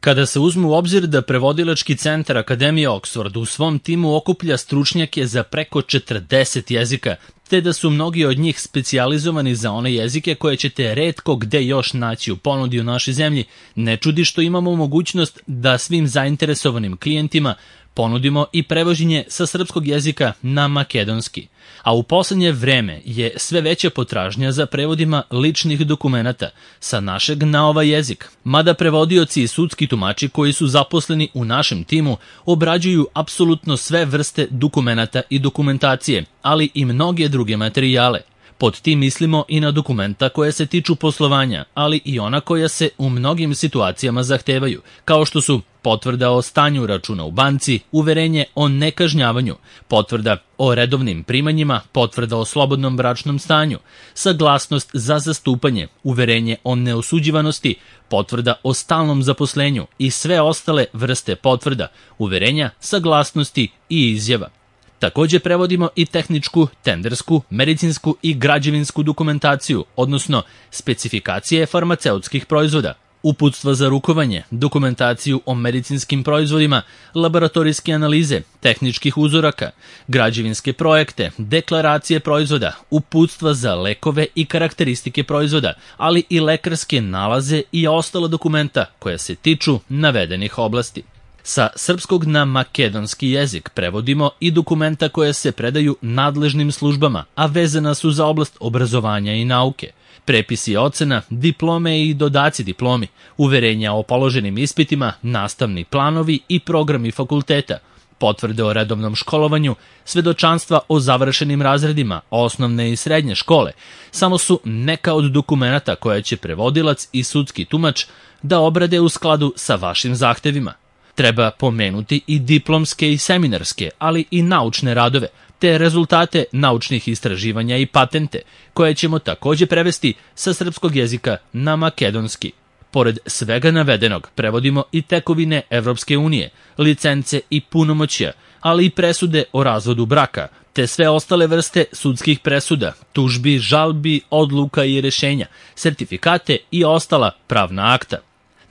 Kada se uzme u obzir da prevodilački centar Akademije Oxford u svom timu okuplja stručnjake za preko 40 jezika, te da su mnogi od njih specijalizovani za one jezike koje ćete retko gde još naći u ponudi u našoj zemlji, ne čudi što imamo mogućnost da svim zainteresovanim klijentima ponudimo i prevođenje sa srpskog jezika na makedonski. A u poslednje vreme je sve veća potražnja za prevodima ličnih dokumenata sa našeg na ovaj jezik, mada prevodioci i sudski tumači koji su zaposleni u našem timu obrađuju apsolutno sve vrste dokumenata i dokumentacije, ali i mnoge druge materijale. Pod tim mislimo i na dokumenta koje se tiču poslovanja, ali i ona koja se u mnogim situacijama zahtevaju, kao što su potvrda o stanju računa u banci, uverenje o nekažnjavanju, potvrda o redovnim primanjima, potvrda o slobodnom bračnom stanju, saglasnost za zastupanje, uverenje o neosuđivanosti, potvrda o stalnom zaposlenju i sve ostale vrste potvrda, uverenja, saglasnosti i izjava. Takođe prevodimo i tehničku, tendersku, medicinsku i građevinsku dokumentaciju, odnosno specifikacije farmaceutskih proizvoda, uputstva za rukovanje, dokumentaciju o medicinskim proizvodima, laboratorijske analize, tehničkih uzoraka, građevinske projekte, deklaracije proizvoda, uputstva za lekove i karakteristike proizvoda, ali i lekarske nalaze i ostala dokumenta koja se tiču navedenih oblasti. Sa srpskog na makedonski jezik prevodimo i dokumenta koje se predaju nadležnim službama, a vezana su za oblast obrazovanja i nauke. Prepisi ocena, diplome i dodaci diplomi, uverenja o položenim ispitima, nastavni planovi i programi fakulteta, potvrde o redovnom školovanju, svedočanstva o završenim razredima, osnovne i srednje škole, samo su neka od dokumenata koje će prevodilac i sudski tumač da obrade u skladu sa vašim zahtevima. Treba pomenuti i diplomske i seminarske, ali i naučne radove, te rezultate naučnih istraživanja i patente, koje ćemo takođe prevesti sa srpskog jezika na makedonski. Pored svega navedenog, prevodimo i tekovine Evropske unije, licence i punomoćja, ali i presude o razvodu braka, te sve ostale vrste sudskih presuda, tužbi, žalbi, odluka i rešenja, sertifikate i ostala pravna akta.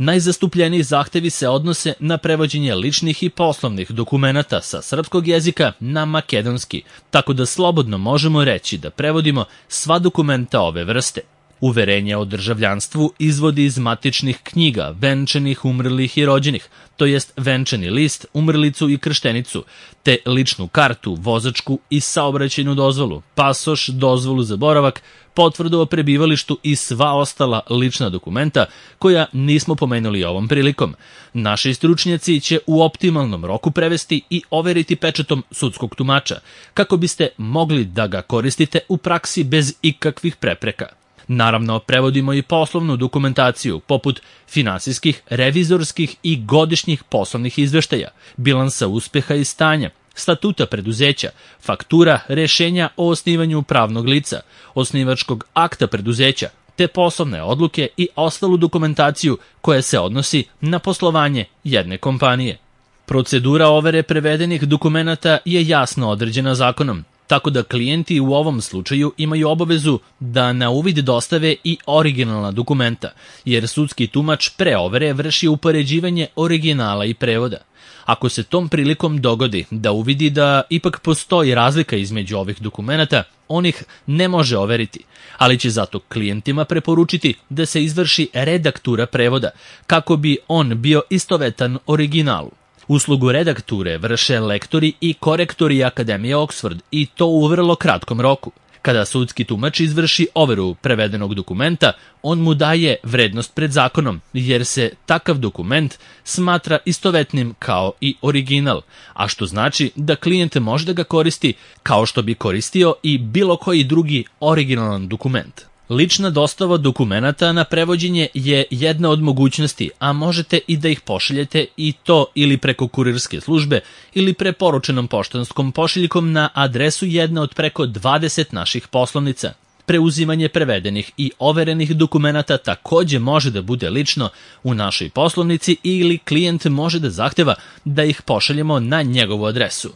Najzastupljeniji zahtevi se odnose na prevođenje ličnih i poslovnih dokumenata sa srpskog jezika na makedonski, tako da slobodno možemo reći da prevodimo sva dokumenta ove vrste. Uverenje o državljanstvu izvodi iz matičnih knjiga, venčanih, umrlih i rođenih, to jest venčani list, umrlicu i krštenicu, te ličnu kartu, vozačku i saobraćajnu dozvolu, pasoš, dozvolu za boravak, potvrdu o prebivalištu i sva ostala lična dokumenta koja nismo pomenuli ovom prilikom. Naši stručnjaci će u optimalnom roku prevesti i overiti pečatom sudskog tumača, kako biste mogli da ga koristite u praksi bez ikakvih prepreka. Naravno, prevodimo i poslovnu dokumentaciju, poput finansijskih, revizorskih i godišnjih poslovnih izveštaja, bilansa uspeha i stanja, statuta preduzeća, faktura, rešenja o osnivanju pravnog lica, osnivačkog akta preduzeća, te poslovne odluke i ostalu dokumentaciju koja se odnosi na poslovanje jedne kompanije. Procedura overe prevedenih dokumenata je jasno određena zakonom, tako da klijenti u ovom slučaju imaju obavezu da na uvid dostave i originalna dokumenta, jer sudski tumač pre overe vrši upoređivanje originala i prevoda. Ako se tom prilikom dogodi da uvidi da ipak postoji razlika između ovih dokumenata, on ih ne može overiti, ali će zato klijentima preporučiti da se izvrši redaktura prevoda, kako bi on bio istovetan originalu. Uslugu redakture vrše lektori i korektori Akademije Oxford i to u vrlo kratkom roku. Kada sudski tumač izvrši overu prevedenog dokumenta, on mu daje vrednost pred zakonom, jer se takav dokument smatra istovetnim kao i original, a što znači da klijent može da ga koristi kao što bi koristio i bilo koji drugi originalan dokument. Lična dostava dokumenata na prevođenje je jedna od mogućnosti, a možete i da ih pošaljete i to ili preko kurirske službe ili preporučenom poštanskom pošiljkom na adresu jedne od preko 20 naših poslovnica. Preuzimanje prevedenih i overenih dokumenata takođe može da bude lično u našoj poslovnici ili klijent može da zahteva da ih pošaljemo na njegovu adresu.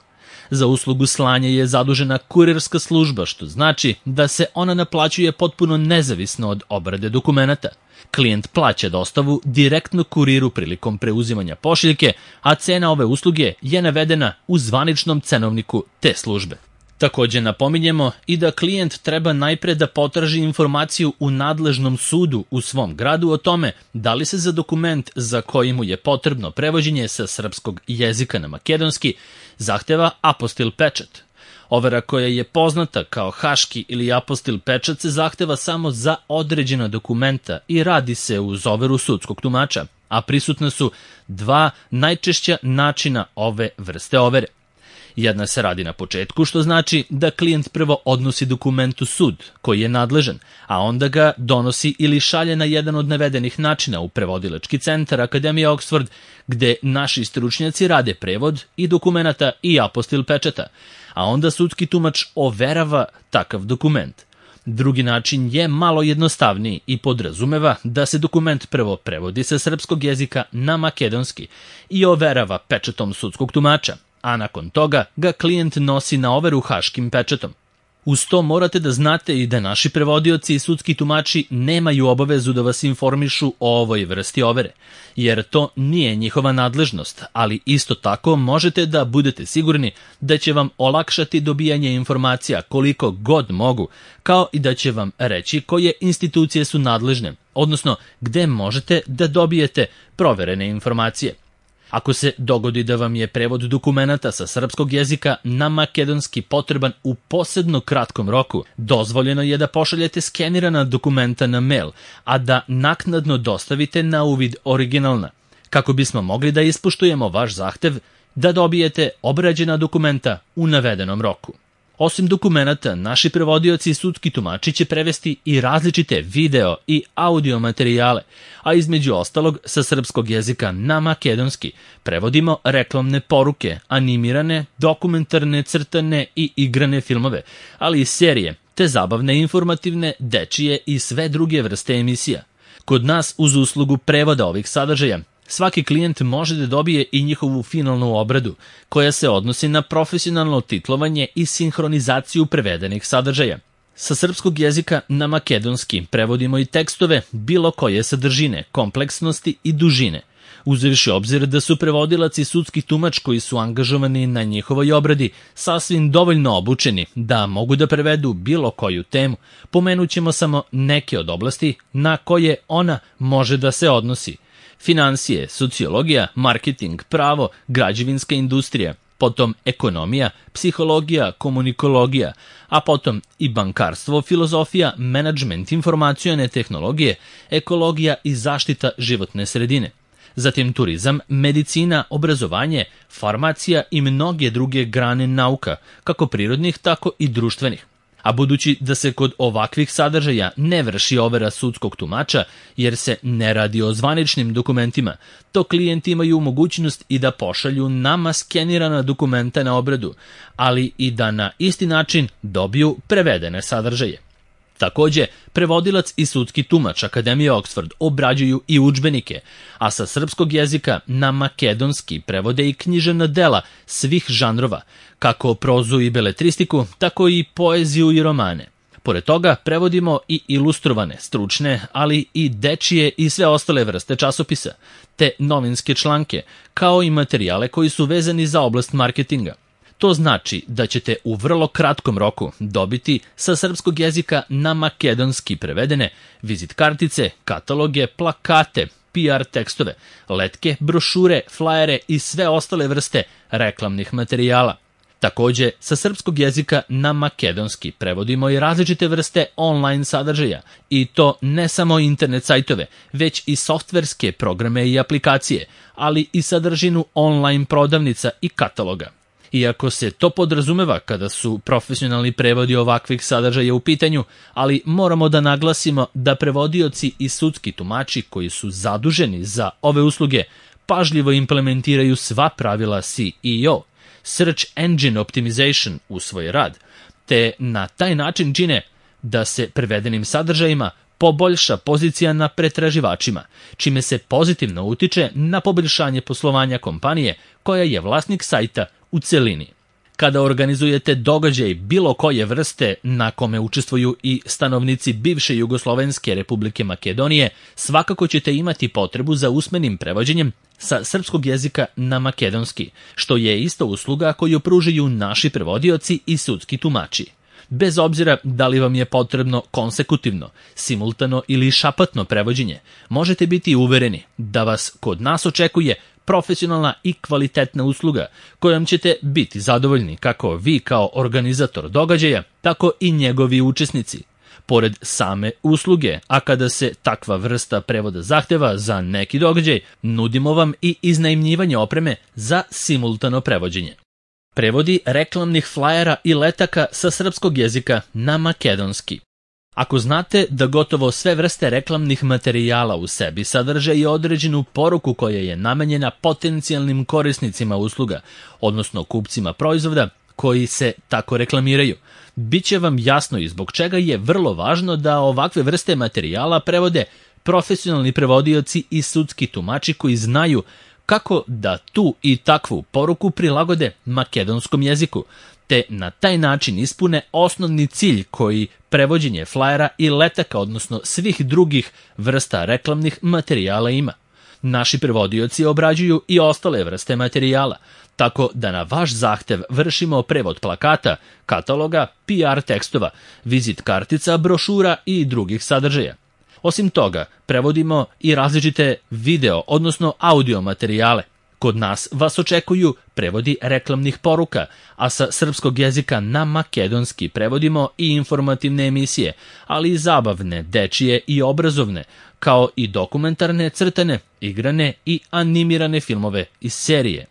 Za uslugu slanja je zadužena kurirska služba, što znači da se ona naplaćuje potpuno nezavisno od obrade dokumenata. Klijent plaća dostavu direktno kuriru prilikom preuzimanja pošiljke, a cena ove usluge je navedena u zvaničnom cenovniku te službe. Takođe napominjemo i da klijent treba najpre da potraži informaciju u nadležnom sudu u svom gradu o tome da li se za dokument za koji mu je potrebno prevođenje sa srpskog jezika na makedonski zahteva apostil pečat. Overa koja je poznata kao haški ili apostil pečat se zahteva samo za određena dokumenta i radi se uz overu sudskog tumača, a prisutna su dva najčešća načina ove vrste overe. Jedna se radi na početku, što znači da klijent prvo odnosi dokument u sud, koji je nadležan, a onda ga donosi ili šalje na jedan od navedenih načina u prevodilački centar Akademije Oxford, gde naši stručnjaci rade prevod i dokumenata i apostil pečata, a onda sudski tumač overava takav dokument. Drugi način je malo jednostavniji i podrazumeva da se dokument prvo prevodi sa srpskog jezika na makedonski i overava pečatom sudskog tumača, a nakon toga ga klijent nosi na overu haškim pečatom. Uz to morate da znate i da naši prevodioci i sudski tumači nemaju obavezu da vas informišu o ovoj vrsti overe, jer to nije njihova nadležnost, ali isto tako možete da budete sigurni da će vam olakšati dobijanje informacija koliko god mogu, kao i da će vam reći koje institucije su nadležne, odnosno gde možete da dobijete proverene informacije. Ako se dogodi da vam je prevod dokumenata sa srpskog jezika na makedonski potreban u posebno kratkom roku, dozvoljeno je da pošaljete skenirana dokumenta na mail, a da naknadno dostavite na uvid originalna, kako bismo mogli da ispoštujemo vaš zahtev da dobijete obrađena dokumenta u navedenom roku. Osim dokumenata, naši prevodioci i sudski tumači će prevesti i različite video i audio materijale, a između ostalog sa srpskog jezika na makedonski prevodimo reklamne poruke, animirane, dokumentarne, crtane i igrane filmove, ali i serije, te zabavne, informativne, dečije i sve druge vrste emisija. Kod nas, uz uslugu prevoda ovih sadržaja, svaki klijent može da dobije i njihovu finalnu obradu, koja se odnosi na profesionalno titlovanje i sinhronizaciju prevedenih sadržaja. Sa srpskog jezika na makedonski prevodimo i tekstove bilo koje sadržine, kompleksnosti i dužine, uzevši obzir da su prevodilac i sudski tumač koji su angažovani na njihovoj obradi sasvim dovoljno obučeni da mogu da prevedu bilo koju temu. Pomenućemo samo neke od oblasti na koje ona može da se odnosi: finansije, sociologija, marketing, pravo, građevinska industrija, potom ekonomija, psihologija, komunikologija, a potom i bankarstvo, filozofija, menadžment, informacione tehnologije, ekologija i zaštita životne sredine. Zatim turizam, medicina, obrazovanje, farmacija i mnoge druge grane nauka, kako prirodnih, tako i društvenih. A budući da se kod ovakvih sadržaja ne vrši overa sudskog tumača, jer se ne radi o zvaničnim dokumentima, to klijenti imaju mogućnost i da pošalju nama skenirana dokumenta na obradu, ali i da na isti način dobiju prevedene sadržaje. Takođe, prevodilac i sudski tumač Akademije Oxford obrađuju i udžbenike, a sa srpskog jezika na makedonski prevode i književna dela svih žanrova, kako prozu i beletristiku, tako i poeziju i romane. Pored toga, prevodimo i ilustrovane, stručne, ali i dečije i sve ostale vrste časopisa, te novinske članke, kao i materijale koji su vezani za oblast marketinga. To znači da ćete u vrlo kratkom roku dobiti sa srpskog jezika na makedonski prevedene vizit kartice, kataloge, plakate, PR tekstove, letke, brošure, flajere i sve ostale vrste reklamnih materijala. Takođe, sa srpskog jezika na makedonski prevodimo i različite vrste online sadržaja, i to ne samo internet sajtove, već i softverske programe i aplikacije, ali i sadržinu online prodavnica i kataloga. Iako se to podrazumeva kada su profesionalni prevodi ovakvih sadržaja u pitanju, ali moramo da naglasimo da prevodioci i sudski tumači koji su zaduženi za ove usluge pažljivo implementiraju sva pravila SEO, Search Engine Optimization, u svoj rad, te na taj način čine da se prevedenim sadržajima poboljša pozicija na pretraživačima, čime se pozitivno utiče na poboljšanje poslovanja kompanije koja je vlasnik sajta u celini. Kada organizujete događaj bilo koje vrste na kome učestvuju i stanovnici bivše Jugoslovenske Republike Makedonije, svakako ćete imati potrebu za usmenim prevođenjem sa srpskog jezika na makedonski, što je isto usluga koju pružaju naši prevodioci i sudski tumači. Bez obzira da li vam je potrebno konsekutivno, simultano ili šapatno prevođenje, možete biti uvereni da vas kod nas očekuje profesionalna i kvalitetna usluga kojom ćete biti zadovoljni kako vi kao organizator događaja, tako i njegovi učesnici. Pored same usluge, a kada se takva vrsta prevoda zahteva za neki događaj, nudimo vam i iznajmljivanje opreme za simultano prevođenje. Prevodi reklamnih flajera i letaka sa srpskog jezika na makedonski. Ako znate da gotovo sve vrste reklamnih materijala u sebi sadrže i određenu poruku koja je namenjena potencijalnim korisnicima usluga, odnosno kupcima proizvoda koji se tako reklamiraju, biće vam jasno i zbog čega je vrlo važno da ovakve vrste materijala prevode profesionalni prevodioci i sudski tumači koji znaju kako da tu i takvu poruku prilagode makedonskom jeziku, te na taj način ispune osnovni cilj koji prevođenje flajera i letaka, odnosno svih drugih vrsta reklamnih materijala ima. Naši prevodioci obrađuju i ostale vrste materijala, tako da na vaš zahtev vršimo prevod plakata, kataloga, PR tekstova, vizit kartica, brošura i drugih sadržaja. Osim toga, prevodimo i različite video, odnosno audio materijale. Kod nas vas očekuju prevodi reklamnih poruka, a sa srpskog jezika na makedonski prevodimo i informativne emisije, ali i zabavne, dečije i obrazovne, kao i dokumentarne, crtane, igrane i animirane filmove i serije.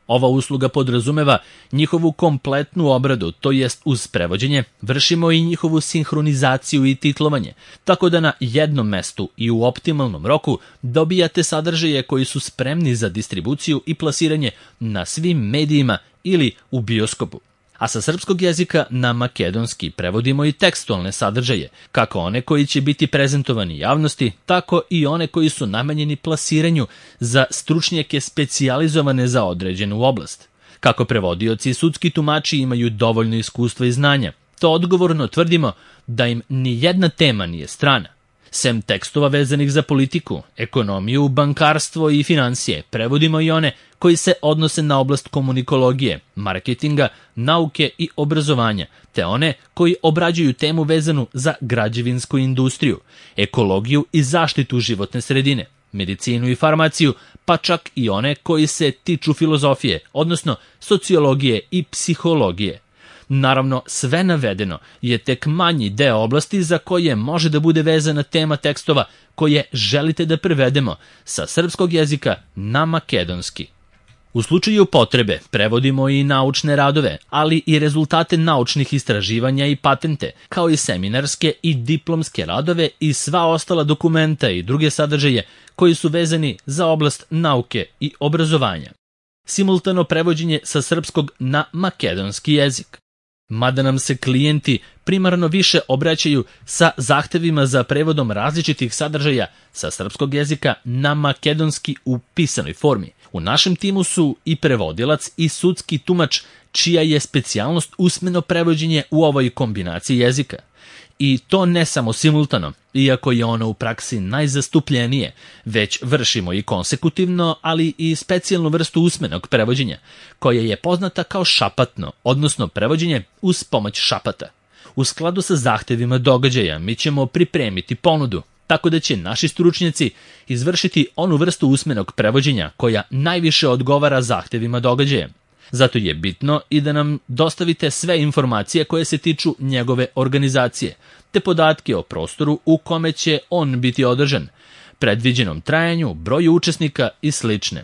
Ova usluga podrazumeva njihovu kompletnu obradu, to jest uz prevođenje vršimo i njihovu sinhronizaciju i titlovanje, tako da na jednom mestu i u optimalnom roku dobijate sadržaje koji su spremni za distribuciju i plasiranje na svim medijima ili u bioskopu. A sa srpskog jezika na makedonski prevodimo i tekstualne sadržaje, kako one koji će biti prezentovani javnosti, tako i one koji su namenjeni plasiranju za stručnjake specijalizovane za određenu oblast. Kako prevodioci i sudski tumači imaju dovoljno iskustva i znanja, to odgovorno tvrdimo da im ni jedna tema nije strana. Sem tekstova vezanih za politiku, ekonomiju, bankarstvo i financije, prevodimo i one koji se odnose na oblast komunikologije, marketinga, nauke i obrazovanja, te one koji obrađuju temu vezanu za građevinsku industriju, ekologiju i zaštitu životne sredine, medicinu i farmaciju, pa čak i one koji se tiču filozofije, odnosno sociologije i psihologije. Naravno, sve navedeno je tek manji deo oblasti za koje može da bude vezana tema tekstova koje želite da prevedemo sa srpskog jezika na makedonski. U slučaju potrebe prevodimo i naučne radove, ali i rezultate naučnih istraživanja i patente, kao i seminarske i diplomske radove i sva ostala dokumenta i druge sadržaje koji su vezani za oblast nauke i obrazovanja. Simultano prevođenje sa srpskog na makedonski jezik. Mada nam se klijenti primarno više obraćaju sa zahtevima za prevodom različitih sadržaja sa srpskog jezika na makedonski u pisanoj formi. U našem timu su i prevodilac i sudski tumač, čija je specijalnost usmeno prevođenje u ovoj kombinaciji jezika. I to ne samo simultano, iako je ono u praksi najzastupljenije, već vršimo i konsekutivno, ali i specijalnu vrstu usmenog prevođenja, koja je poznata kao šapatno, odnosno prevođenje uz pomoć šapata. U skladu sa zahtevima događaja mi ćemo pripremiti ponudu, tako da će naši stručnjaci izvršiti onu vrstu usmenog prevođenja koja najviše odgovara zahtevima događaja. Zato je bitno i da nam dostavite sve informacije koje se tiču njegove organizacije, te podatke o prostoru u kome će on biti održan, predviđenom trajanju, broju učesnika i slične.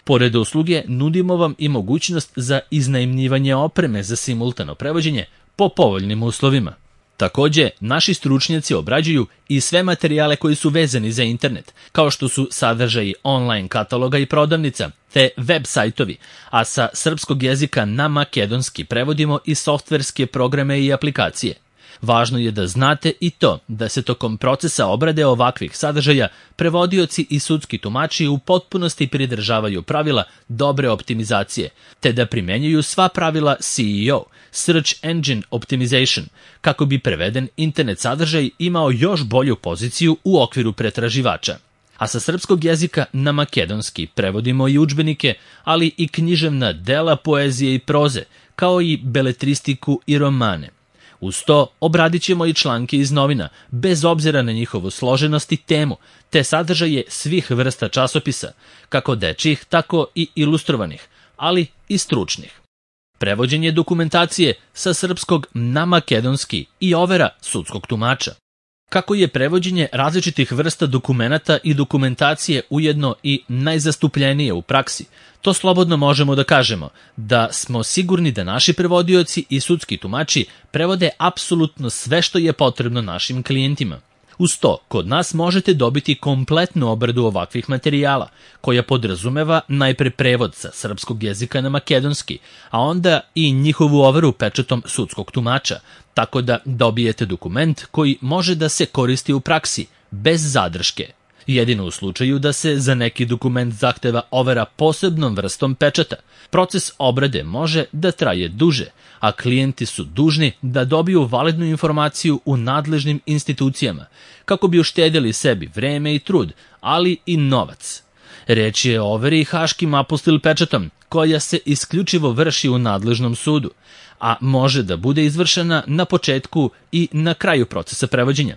Pored usluge, nudimo vam i mogućnost za iznajmljivanje opreme za simultano prevođenje po povoljnim uslovima. Takođe, naši stručnjaci obrađuju i sve materijale koji su vezani za internet, kao što su sadržaji online kataloga i prodavnica, te web sajtovi, a sa srpskog jezika na makedonski prevodimo i softverske programe i aplikacije. Važno je da znate i to da se tokom procesa obrade ovakvih sadržaja prevodioci i sudski tumači u potpunosti pridržavaju pravila dobre optimizacije, te da primenjuju sva pravila SEO, Search Engine Optimization, kako bi preveden internet sadržaj imao još bolju poziciju u okviru pretraživača. A sa srpskog jezika na makedonski prevodimo i udžbenike, ali i književna dela poezije i proze, kao i beletristiku i romane. Uz to obradit ćemo i članke iz novina, bez obzira na njihovu složenost i temu, te sadržaje svih vrsta časopisa, kako dečjih, tako i ilustrovanih, ali i stručnih. Prevođenje dokumentacije sa srpskog na makedonski i overa sudskog tumača. Kako je prevođenje različitih vrsta dokumenata i dokumentacije ujedno i najzastupljenije u praksi, to slobodno možemo da kažemo, da smo sigurni da naši prevodioci i sudski tumači prevode apsolutno sve što je potrebno našim klijentima. Uz to, kod nas možete dobiti kompletnu obradu ovakvih materijala, koja podrazumeva najpre prevod sa srpskog jezika na makedonski, a onda i njihovu overu pečatom sudskog tumača, tako da dobijete dokument koji može da se koristi u praksi, bez zadrške. Jedino u slučaju da se za neki dokument zahteva overa posebnom vrstom pečata. Proces obrade može da traje duže, a klijenti su dužni da dobiju validnu informaciju u nadležnim institucijama, kako bi uštedjeli sebi vreme i trud, ali i novac. Reč je o overi haškim apostil pečatom, koja se isključivo vrši u nadležnom sudu, a može da bude izvršena na početku i na kraju procesa prevođenja.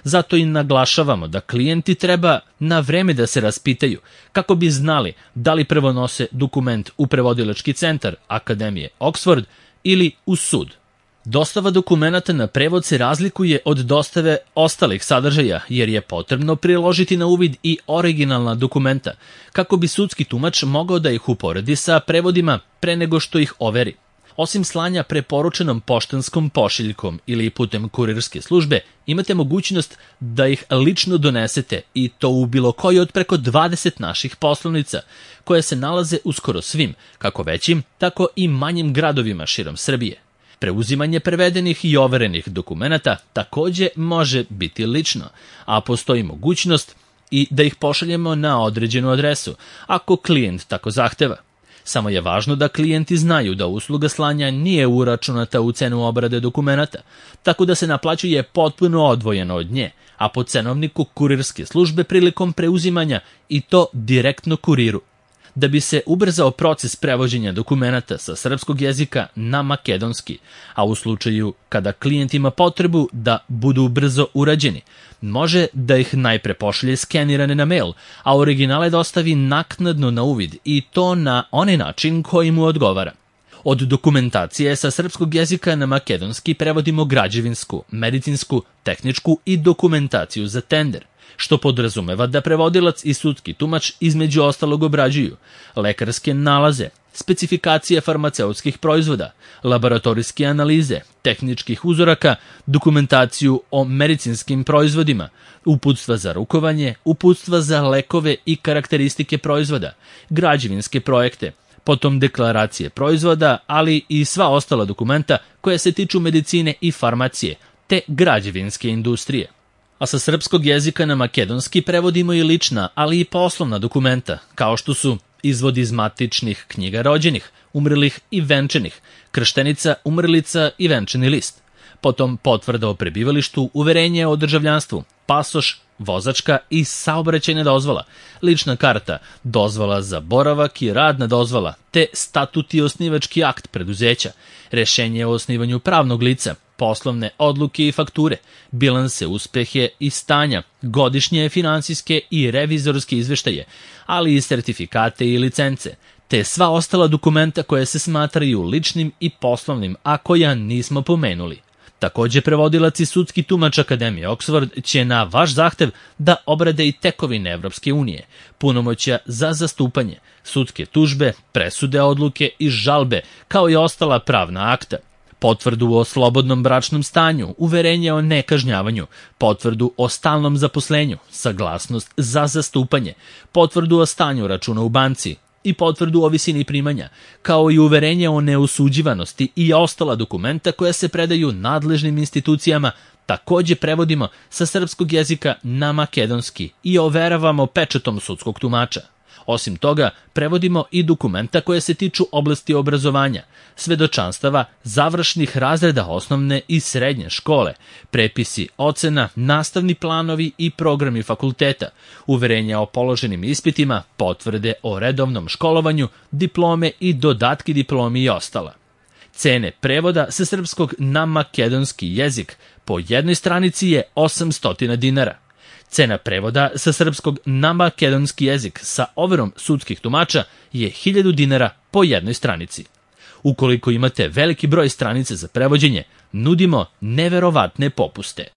Zato i naglašavamo da klijenti treba na vreme da se raspitaju kako bi znali da li prvo nose dokument u prevodilački centar Akademije Oxford ili u sud. Dostava dokumenata na prevod se razlikuje od dostave ostalih sadržaja, jer je potrebno priložiti na uvid i originalna dokumenta, kako bi sudski tumač mogao da ih uporedi sa prevodima pre nego što ih overi. Osim slanja preporučenom poštanskom pošiljkom ili putem kurirske službe, imate mogućnost da ih lično donesete, i to u bilo koji od preko 20 naših poslovnica, koje se nalaze u skoro svim, kako većim, tako i manjim gradovima širom Srbije. Preuzimanje prevedenih i overenih dokumenata takođe može biti lično, a postoji mogućnost i da ih pošaljemo na određenu adresu, ako klijent tako zahteva. Samo je važno da klijenti znaju da usluga slanja nije uračunata u cenu obrade dokumenata, tako da se naplaćuje potpuno odvojeno od nje, a po cenovniku kurirske službe prilikom preuzimanja, i to direktno kuriru. Da bi se ubrzao proces prevođenja dokumenata sa srpskog jezika na makedonski, a u slučaju kada klijent ima potrebu da budu brzo urađeni, može da ih najpre pošalje skenirane na mail, a originale dostavi naknadno na uvid, i to na onaj način koji mu odgovara. Od dokumentacije sa srpskog jezika na makedonski prevodimo građevinsku, medicinsku, tehničku i dokumentaciju za tender, što podrazumeva da prevodilac i sudski tumač između ostalog obrađuju lekarske nalaze, specifikacije farmaceutskih proizvoda, laboratorijske analize, tehničkih uzoraka, dokumentaciju o medicinskim proizvodima, uputstva za rukovanje, uputstva za lekove i karakteristike proizvoda, građevinske projekte, potom deklaracije proizvoda, ali i sva ostala dokumenta koja se tiču medicine i farmacije, te građevinske industrije. A sa srpskog jezika na makedonski prevodimo i lična, ali i poslovna dokumenta, kao što su izvod iz matičnih knjiga rođenih, umrlih i venčanih, krštenica, umrlica i venčani list. Potom potvrda o prebivalištu, uverenje o državljanstvu, pasoš, vozačka i saobraćajna dozvola, lična karta, dozvola za boravak i radna dozvola, te statut i osnivački akt preduzeća, rešenje o osnivanju pravnog lica, poslovne odluke i fakture, bilanse, uspehe i stanja, godišnje finansijske i revizorske izveštaje, ali i sertifikate i licence, te sva ostala dokumenta koja se smatraju ličnim i poslovnim, a koja nismo pomenuli. Takođe, prevodilac i sudski tumač Akademije Oxford će na vaš zahtev da obrade i tekovine Evropske unije, punomoćja za zastupanje, sudske tužbe, presude, odluke i žalbe, kao i ostala pravna akta, potvrdu o slobodnom bračnom stanju, uverenje o nekažnjavanju, potvrdu o stalnom zaposlenju, saglasnost za zastupanje, potvrdu o stanju računa u banci, i potvrdu o visini primanja, kao i uverenje o neosuđivanosti i ostala dokumenta koja se predaju nadležnim institucijama, takođe prevodimo sa srpskog jezika na makedonski i overavamo pečatom sudskog tumača. Osim toga, prevodimo i dokumenta koje se tiču oblasti obrazovanja, svedočanstava završnih razreda osnovne i srednje škole, prepisi ocena, nastavni planovi i programi fakulteta, uverenja o položenim ispitima, potvrde o redovnom školovanju, diplome i dodatki diplomi i ostala. Cene prevoda sa srpskog na makedonski jezik po jednoj stranici je 800 dinara. Cena prevoda sa srpskog na makedonski jezik sa overom sudskih tumača je 1000 dinara po jednoj stranici. Ukoliko imate veliki broj stranica za prevođenje, nudimo neverovatne popuste.